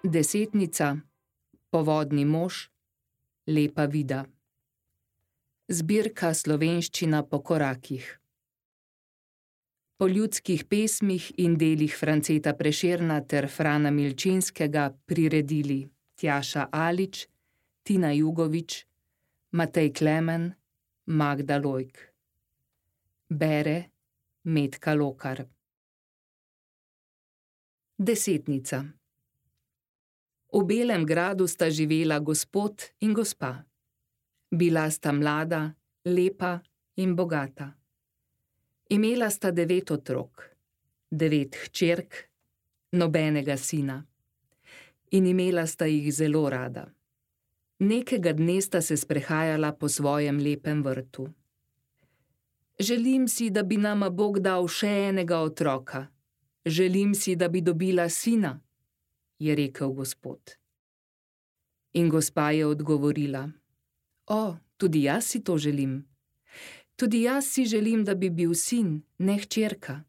Desetnica, Povodni mož, Lepa vida. Zbirka Slovenščina po korakih. Po ljudskih pesmih in delih Franceta Prešerna ter Frana Milčinskega priredili Tjaša Alič, Tina Jugovič, Matej Klemen, Magda Lojk. Bere Metka Lokar. Desetnica. V Belem gradu sta živela gospod in gospa. Bila sta mlada, lepa in bogata. Imela sta 9 otrok, 9 hčerk, nobenega sina. In imela sta jih zelo rada. Nekega dne sta se sprehajala po svojem lepem vrtu. Želim si, da bi nama Bog dal še enega otroka. Želim si, da bi dobila sina, je rekel gospod. In gospa je odgovorila: O, tudi jaz si to želim. Tudi jaz si želim, da bi bil sin, ne hčerka.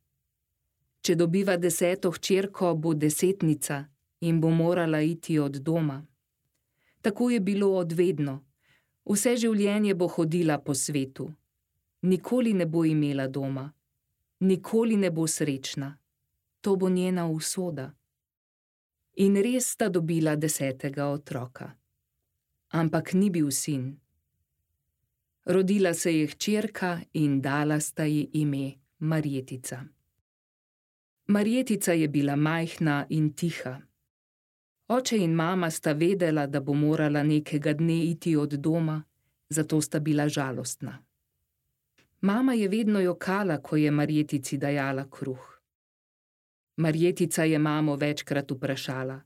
Če dobiva 10. hčerko, bo desetnica in bo morala iti od doma. Tako je bilo od vedno. Vse življenje bo hodila po svetu. Nikoli ne bo imela doma. Nikoli ne bo srečna. To bo njena usoda. In res sta dobila 10. otroka. Ampak ni bil sin. Rodila se je hčerka in dala sta ji ime Marjetica. Marjetica je bila majhna in tiha. Oče in mama sta vedela, da bo morala nekega dne iti od doma, zato sta bila žalostna. Mama je vedno jokala, ko je Marjetici dajala kruh. Marjetica je mamo večkrat vprašala: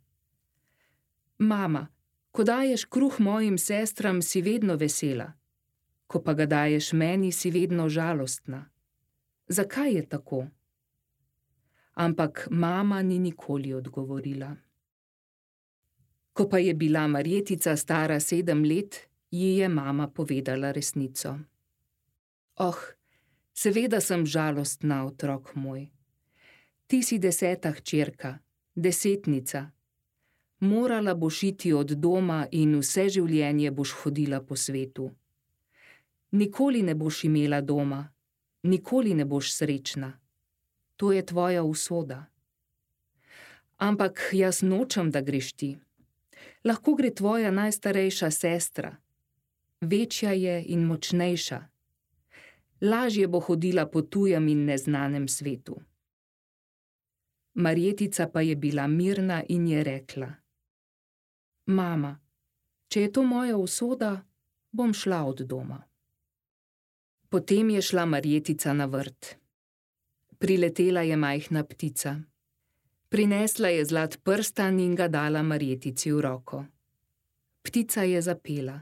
Mama, ko daješ kruh mojim sestram, si vedno vesela. Ko pa ga daješ meni, si vedno žalostna. Zakaj je tako? Ampak mama ni nikoli odgovorila. Ko pa je bila Marjetica stara 7 let, ji je mama povedala resnico. Oh, seveda sem žalostna, otrok moj. Ti si 10. hčerka, desetnica. Morala boš iti od doma in vse življenje boš hodila po svetu. Nikoli ne boš imela doma, nikoli ne boš srečna. To je tvoja usoda. Ampak jaz nočem, da greš ti. Lahko gre tvoja najstarejša sestra. Večja je in močnejša. Lažje bo hodila po tujem in neznanem svetu. Marjetica pa je bila mirna in je rekla: Mama, če je to moja usoda, bom šla od doma. Potem je šla Marjetica na vrt. Priletela je majhna ptica. Prinesla je zlat prstan in ga dala Marjetici v roko. Ptica je zapela: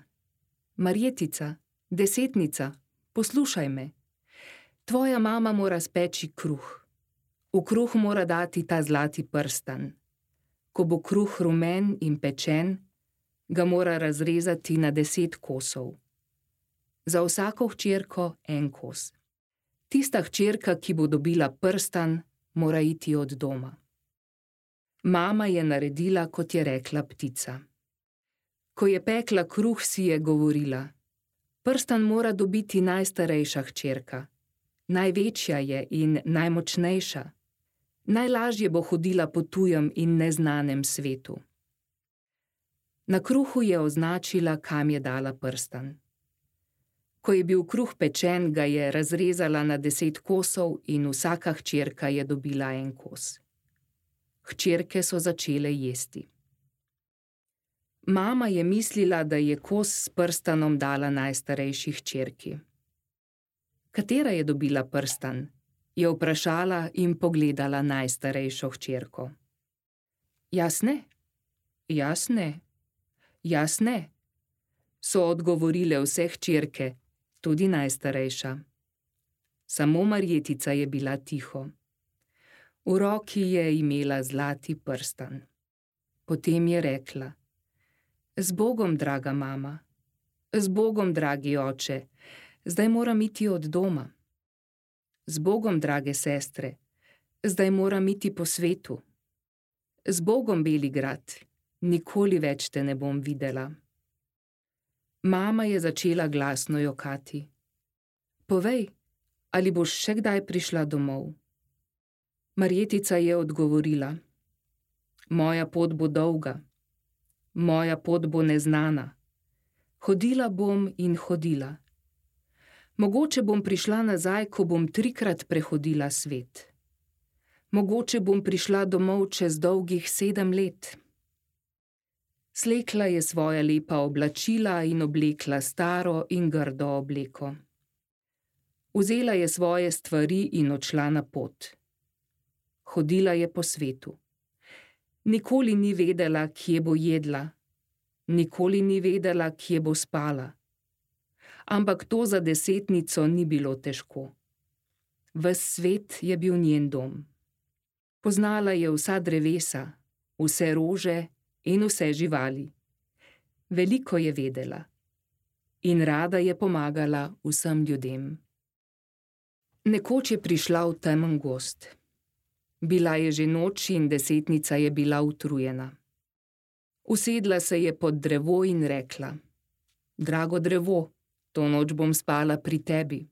Marjetica, desetnica, poslušaj me. Tvoja mama mora speči kruh. V kruh mora dati ta zlati prstan. Ko bo kruh rumen in pečen, ga mora razrezati na 10 kosov. Za vsako hčerko 1 kos. Tista hčerka, ki bo dobila prstan, mora iti od doma. Mama je naredila, kot je rekla ptica. Ko je pekla kruh, si je govorila: Prstan mora dobiti najstarejša hčerka. Največja je in najmočnejša. Najlažje bo hodila po tujem in neznanem svetu. Na kruhu je označila, kam je dala prstan. Ko je bil kruh pečen, ga je razrezala na 10 kosov in vsaka hčerka je dobila 1 kos. Hčerke so začele jesti. Mama je mislila, da je kos s prstanom dala najstarejši hčerki. Katera je dobila prstan? Je vprašala in pogledala najstarejšo hčerko. Jaz ne, jaz ne, jaz ne, so odgovorile vse hčerke, tudi najstarejša. Samo Marjetica je bila tiho. V roki je imela zlati prstan. Potem je rekla: Z Bogom, draga mama, z Bogom, dragi oče, zdaj moram iti od doma. Z Bogom, drage sestre, zdaj moram iti po svetu. Z Bogom, Beli grad, nikoli več te ne bom videla. Mama je začela glasno jokati. Povej, ali boš še kdaj prišla domov? Marjetica je odgovorila. Moja pot bo dolga. Moja pot bo neznana. Hodila bom in hodila. Mogoče bom prišla nazaj, ko bom 3-krat prehodila svet. Mogoče bom prišla domov čez dolgih 7 let. Slekla je svoja lepa oblačila in oblekla staro in grdo obleko. Vzela je svoje stvari in odšla na pot. Hodila je po svetu. Nikoli ni vedela, kje bo jedla. Nikoli ni vedela, kje bo spala. Ampak to za desetnico ni bilo težko. Ves svet je bil njen dom. Poznala je vsa drevesa, vse rože in vse živali. Veliko je vedela. In rada je pomagala vsem ljudem. Nekoč je prišla v temen gozd. Bila je že noč in desetnica je bila utrujena. Usedla se je pod drevo in rekla: Drago drevo, to noč bom spala pri tebi.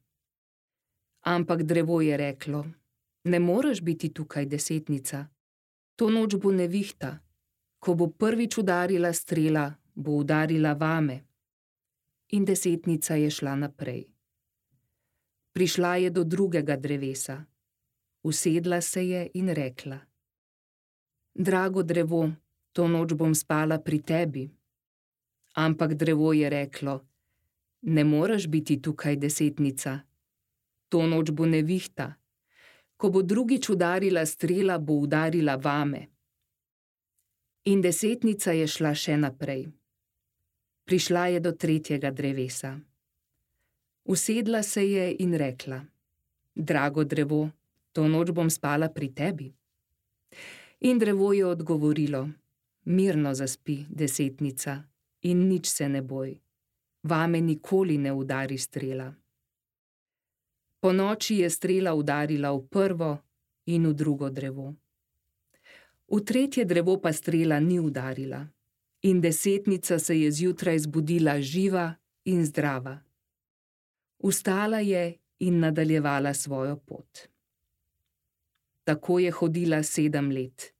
Ampak drevo je reklo: Ne moreš biti tukaj, desetnica. To noč bo nevihta. Ko bo prvič udarila strela, bo udarila vame. In desetnica je šla naprej. Prišla je do drugega drevesa. Usedla se je in rekla: Drago drevo, to noč bom spala pri tebi. Ampak drevo je reklo: Ne moreš biti tukaj, desetnica. To noč bo nevihta. Ko bo drugič udarila strela, bo udarila vame. In desetnica je šla še naprej. Prišla je do tretjega drevesa. Usedla se je in rekla: Drago drevo, to noč bom spala pri tebi. In drevo je odgovorilo: Mirno zaspi, desetnica, in nič se ne boj. Vame nikoli ne udari strela. Po noči je strela udarila v prvo in v drugo drevo. V tretje drevo pa strela ni udarila. In desetnica se je zjutraj zbudila živa in zdrava. Vstala je in nadaljevala svojo pot. Tako je hodila 7 let.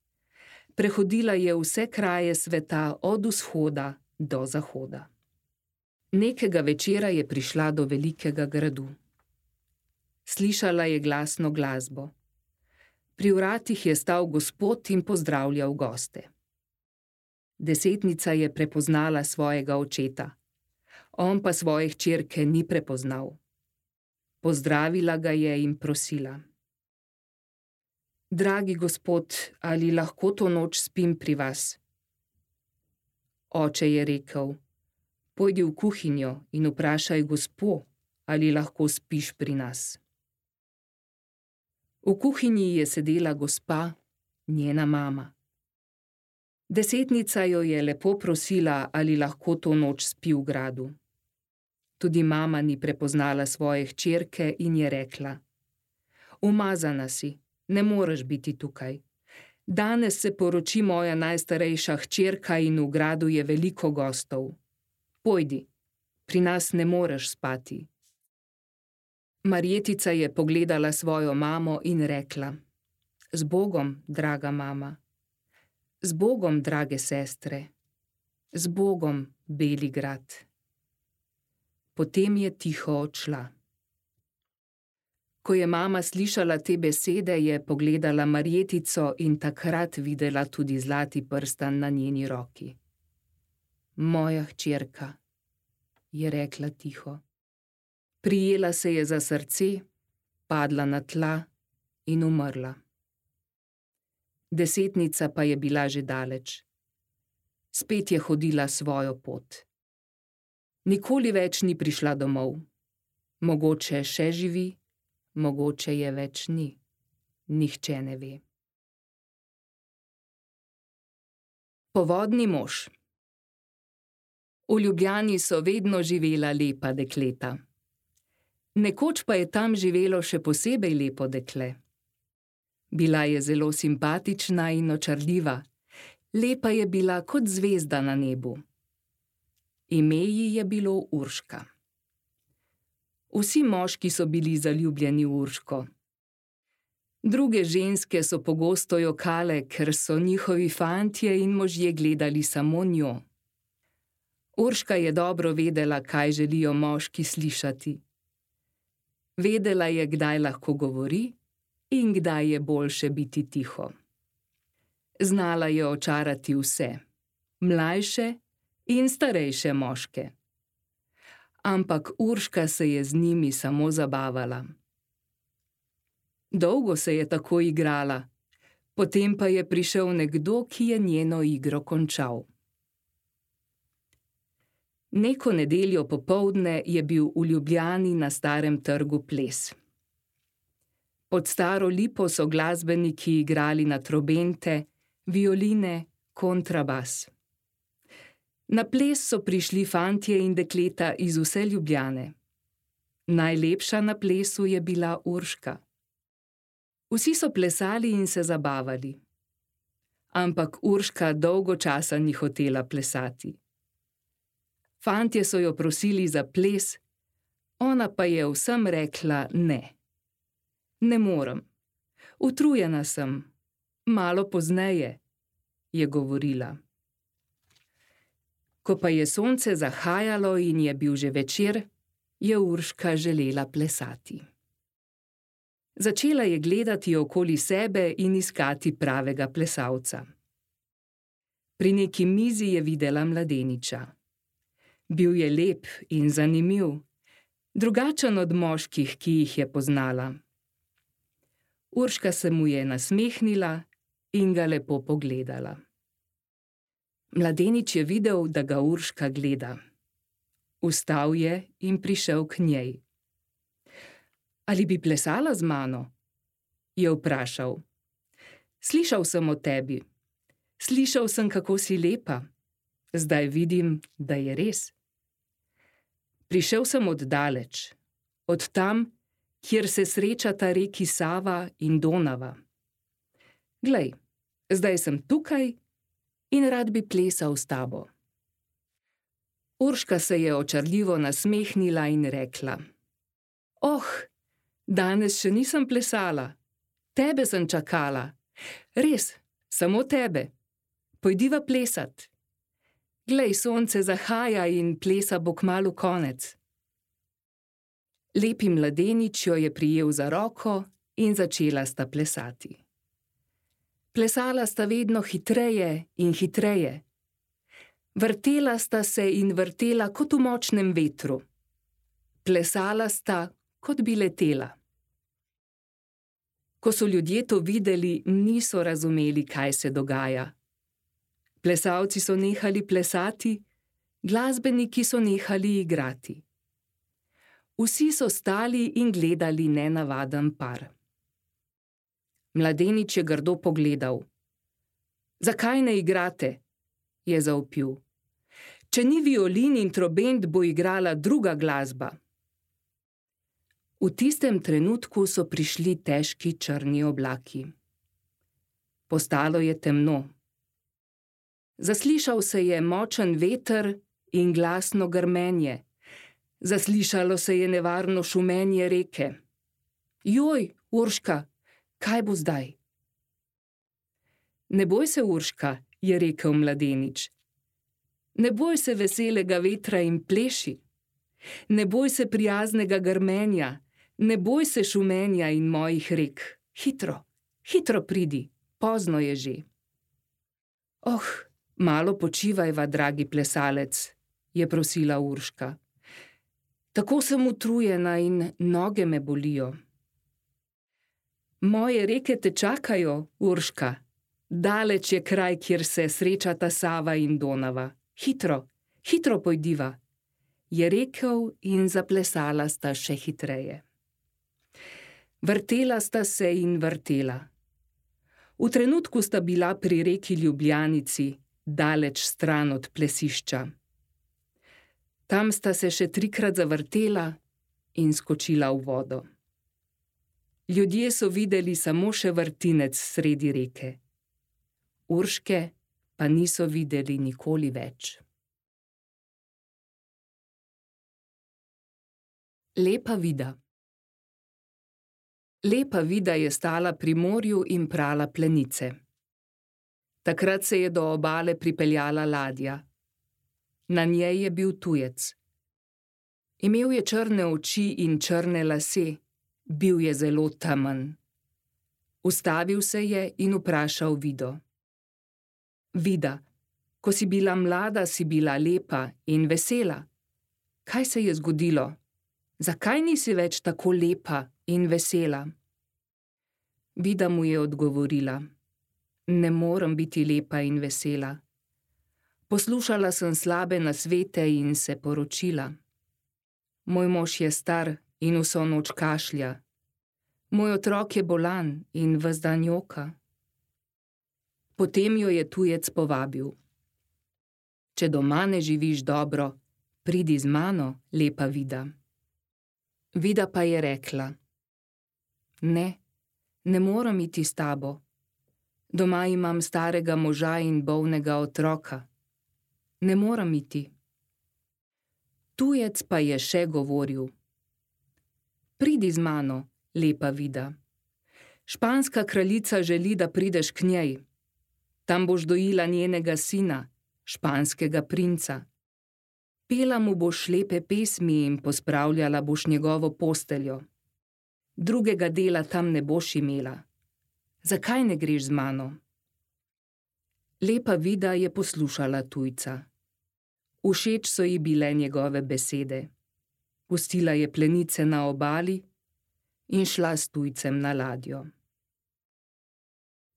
Prehodila je vse kraje sveta od vzhoda do zahoda. Nekega večera je prišla do velikega gradu. Slišala je glasno glasbo. Pri vratih je stal gospod in pozdravljal goste. Desetnica je prepoznala svojega očeta. On pa svoje hčerke ni prepoznal. Pozdravila ga je in prosila: Dragi gospod, ali lahko to noč spim pri vas? Oče je rekel: Pojdi v kuhinjo in vprašaj gospo, ali lahko spiš pri nas. V kuhinji je sedela gospa, njena mama. Desetnica jo je lepo prosila, ali lahko to noč spi v gradu. Tudi mama ni prepoznala svoje hčerke in je rekla: Umazana si, ne moreš biti tukaj. Danes se poroči moja najstarejša hčerka in v gradu je veliko gostov. Pojdi, pri nas ne moreš spati. Marjetica je pogledala svojo mamo in rekla: Z Bogom, draga mama. Z Bogom, drage sestre. Z Bogom, Beli grad. Potem je tiho odšla. Ko je mama slišala te besede, je pogledala Marjetico in takrat videla tudi zlati prstan na njeni roki. Moja hčerka, je rekla tiho. Prijela se je za srce, padla na tla in umrla. Desetnica pa je bila že daleč. Spet je hodila svojo pot. Nikoli več ni prišla domov. Mogoče še živi, mogoče je več ni. Nihče ne ve. Povodni mož. V Ljubljani so vedno živela lepa dekleta. Nekoč pa je tam živelo še posebej lepo dekle. Bila je zelo simpatična in očarljiva Lepa je bila kot zvezda na nebu. Ime ji je bilo Urška. Vsi moški so bili zaljubljeni v Urško. Druge ženske so pogosto jokale, ker so njihovi fantje in možje gledali samo njo. Urška je dobro vedela, kaj želijo moški slišati. Vedela je, kdaj lahko govori in kdaj je boljše biti tiho. Znala je očarati vse, mlajše in starejše moške. Ampak Urška se je z njimi samo zabavala. Dolgo se je tako igrala, potem pa je prišel nekdo, ki je njeno igro končal. Neko nedeljo popoldne je bil v Ljubljani na Starem trgu ples. Pod staro lipo so glasbeniki igrali na trobente, violine, kontrabas. Na ples so prišli fantje in dekleta iz vse Ljubljane. Najlepša na plesu je bila Urška. Vsi so plesali in se zabavali. Ampak Urška dolgo časa ni hotela plesati. Fantje so jo prosili za ples, ona pa je vsem rekla ne. Ne morem. Utrujena sem. Malo pozneje, je govorila. Ko pa je sonce zahajalo in je bil že večer, je Urška želela plesati. Začela je gledati okoli sebe in iskati pravega plesalca. Pri neki mizi je videla mladeniča. Bil je lep in zanimiv, drugačen od moških, ki jih je poznala. Urška se mu je nasmehnila in ga lepo pogledala. Mladenič je videl, da ga Urška gleda. Vstal je in prišel k njej. Ali bi plesala z mano? Je vprašal. Slišal sem o tebi. Slišal sem, kako si lepa. Zdaj vidim, da je res. Prišel sem od daleč, od tam, kjer se srečata reki Sava in Donava. Glej, zdaj sem tukaj in rad bi plesal s tabo. Urška se je očarljivo nasmehnila in rekla. Oh, danes še nisem plesala. Tebe sem čakala. Res, samo tebe. Pojdiva plesat. Glej, sonce zahaja in plesa bo kmalu konec. Lepi mladenič jo je prijel za roko in začela sta plesati. Plesala sta vedno hitreje in hitreje. Vrtela sta se in vrtela kot v močnem vetru. Plesala sta, kot bi letela. Ko so ljudje to videli, niso razumeli, kaj se dogaja. Plesalci so nehali plesati, glasbeniki so nehali igrati. Vsi so stali in gledali nenavaden par. Mladenič je grdo pogledal. Zakaj ne igrate? Je zavpil. Če ni violin in trobent, bo igrala druga glasba. V tistem trenutku so prišli težki črni oblaki. Postalo je temno. Zaslišal se je močen veter in glasno grmenje. Zaslišalo se je nevarno šumenje reke. Joj, Urška, kaj bo zdaj? Ne boj se, Urška, je rekel mladenič. Ne boj se veselega vetra in pleši. Ne boj se prijaznega grmenja, ne boj se šumenja in mojih rek. Hitro, hitro pridi, pozno je že. Oh, malo počivajva, dragi plesalec, je prosila Urška. Tako sem utrujena in noge me bolijo. Moje reke te čakajo, Urška. Daleč je kraj, kjer se srečata Sava in Donava. Hitro, hitro pojdiva, je rekel in zaplesala sta še hitreje. Vrtela sta se in vrtela. V trenutku sta bila pri reki Ljubljanici, daleč stran od plesišča. Tam sta se še 3-krat zavrtela in skočila v vodo. Ljudje so videli samo še vrtinec sredi reke. Urške pa niso videli nikoli več. Lepa Vida. Lepa Vida je stala pri morju in prala plenice. Takrat se je do obale pripeljala ladja. Na njej je bil tujec. Imel je črne oči in črne lase, bil je zelo temen. Ustavil se je in vprašal Vido. Vida, ko si bila mlada, si bila lepa in vesela. Kaj se je zgodilo? Zakaj nisi več tako lepa in vesela? Vida mu je odgovorila. Ne morem biti lepa in vesela. Poslušala sem slabe nasvete in se poročila. Moj mož je star in vso noč kašlja. Moj otrok je bolan in ves dan joka. Potem jo je tujec povabil. Če doma ne živiš dobro, pridi z mano, lepa Vida. Vida pa je rekla. Ne morem iti s tabo. Doma imam starega moža in bolnega otroka. Ne morem iti. Tujec pa je še govoril. Pridi z mano, lepa Vida. Španska kraljica želi, da prideš k njej. Tam boš dojila njenega sina, španskega princa. Pela mu boš lepe pesmi in pospravljala boš njegovo posteljo. Drugega dela tam ne boš imela. Zakaj ne greš z mano? Lepa Vida je poslušala tujca. Všeč so ji bile njegove besede. Pustila je plenice na obali in šla s tujcem na ladjo.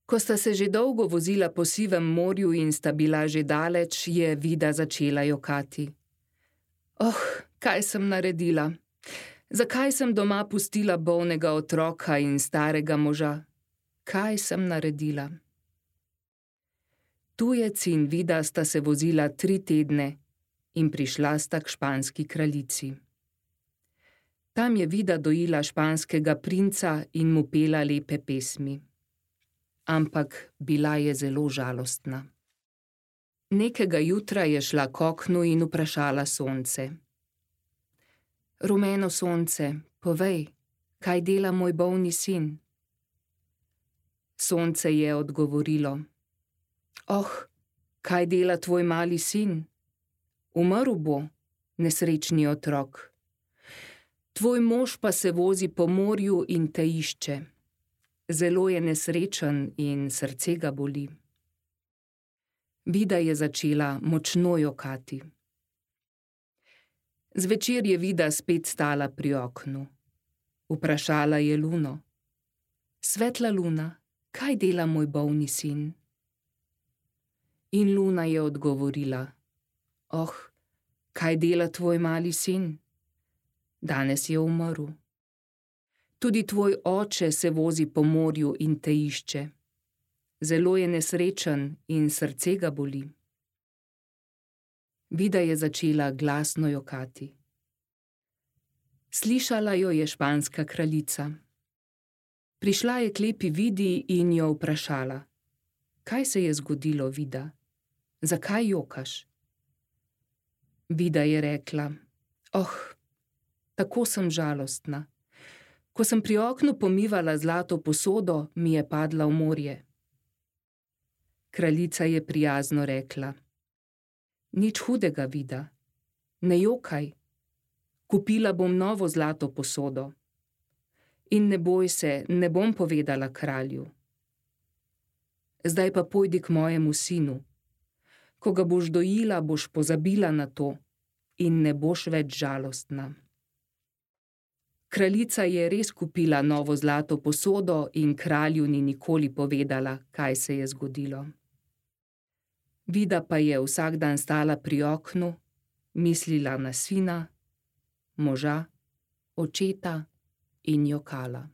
Ko sta se že dolgo vozila po sivem morju in sta bila že daleč, je Vida začela jokati. Kaj sem naredila? Zakaj sem doma pustila bolnega otroka in starega moža? Kaj sem naredila? Tujec in Vida sta se vozila 3 tedne in prišla sta k španski kraljici. Tam je Vida dojila španskega princa in mu pela lepe pesmi. Ampak bila je zelo žalostna. Nekega jutra je šla k oknu in vprašala sonce. Rumeno sonce, povej, kaj dela moj bolni sin? Sonce je odgovorilo. Kaj dela tvoj mali sin? Umrl bo, nesrečni otrok. Tvoj mož pa se vozi po morju in te išče. Zelo je nesrečen in srce ga boli. Vida je začela močno jokati. Zvečer je Vida spet stala pri oknu. Vprašala je luno. Svetla luna, kaj dela moj bolni sin? In luna je odgovorila. Kaj dela tvoj mali sin? Danes je umrl. Tudi tvoj oče se vozi po morju in te išče. Zelo je nesrečen in srce ga boli. Vida je začela glasno jokati. Slišala jo je španska kraljica. Prišla je k lepi Vidi in jo vprašala. Kaj se je zgodilo, Vida? Zakaj jokaš? Vida je rekla. Tako sem žalostna. Ko sem pri oknu pomivala zlato posodo, mi je padla v morje. Kraljica je prijazno rekla. Nič hudega, Vida. Ne jokaj. Kupila bom novo zlato posodo. In ne boj se, ne bom povedala kralju. Zdaj pa pojdi k mojemu sinu. Ko ga boš dojila, boš pozabila na to in ne boš več žalostna. Kraljica je res kupila novo zlato posodo in kralju ni nikoli povedala, kaj se je zgodilo. Vida pa je vsak dan stala pri oknu, mislila na sina, moža, očeta in jokala.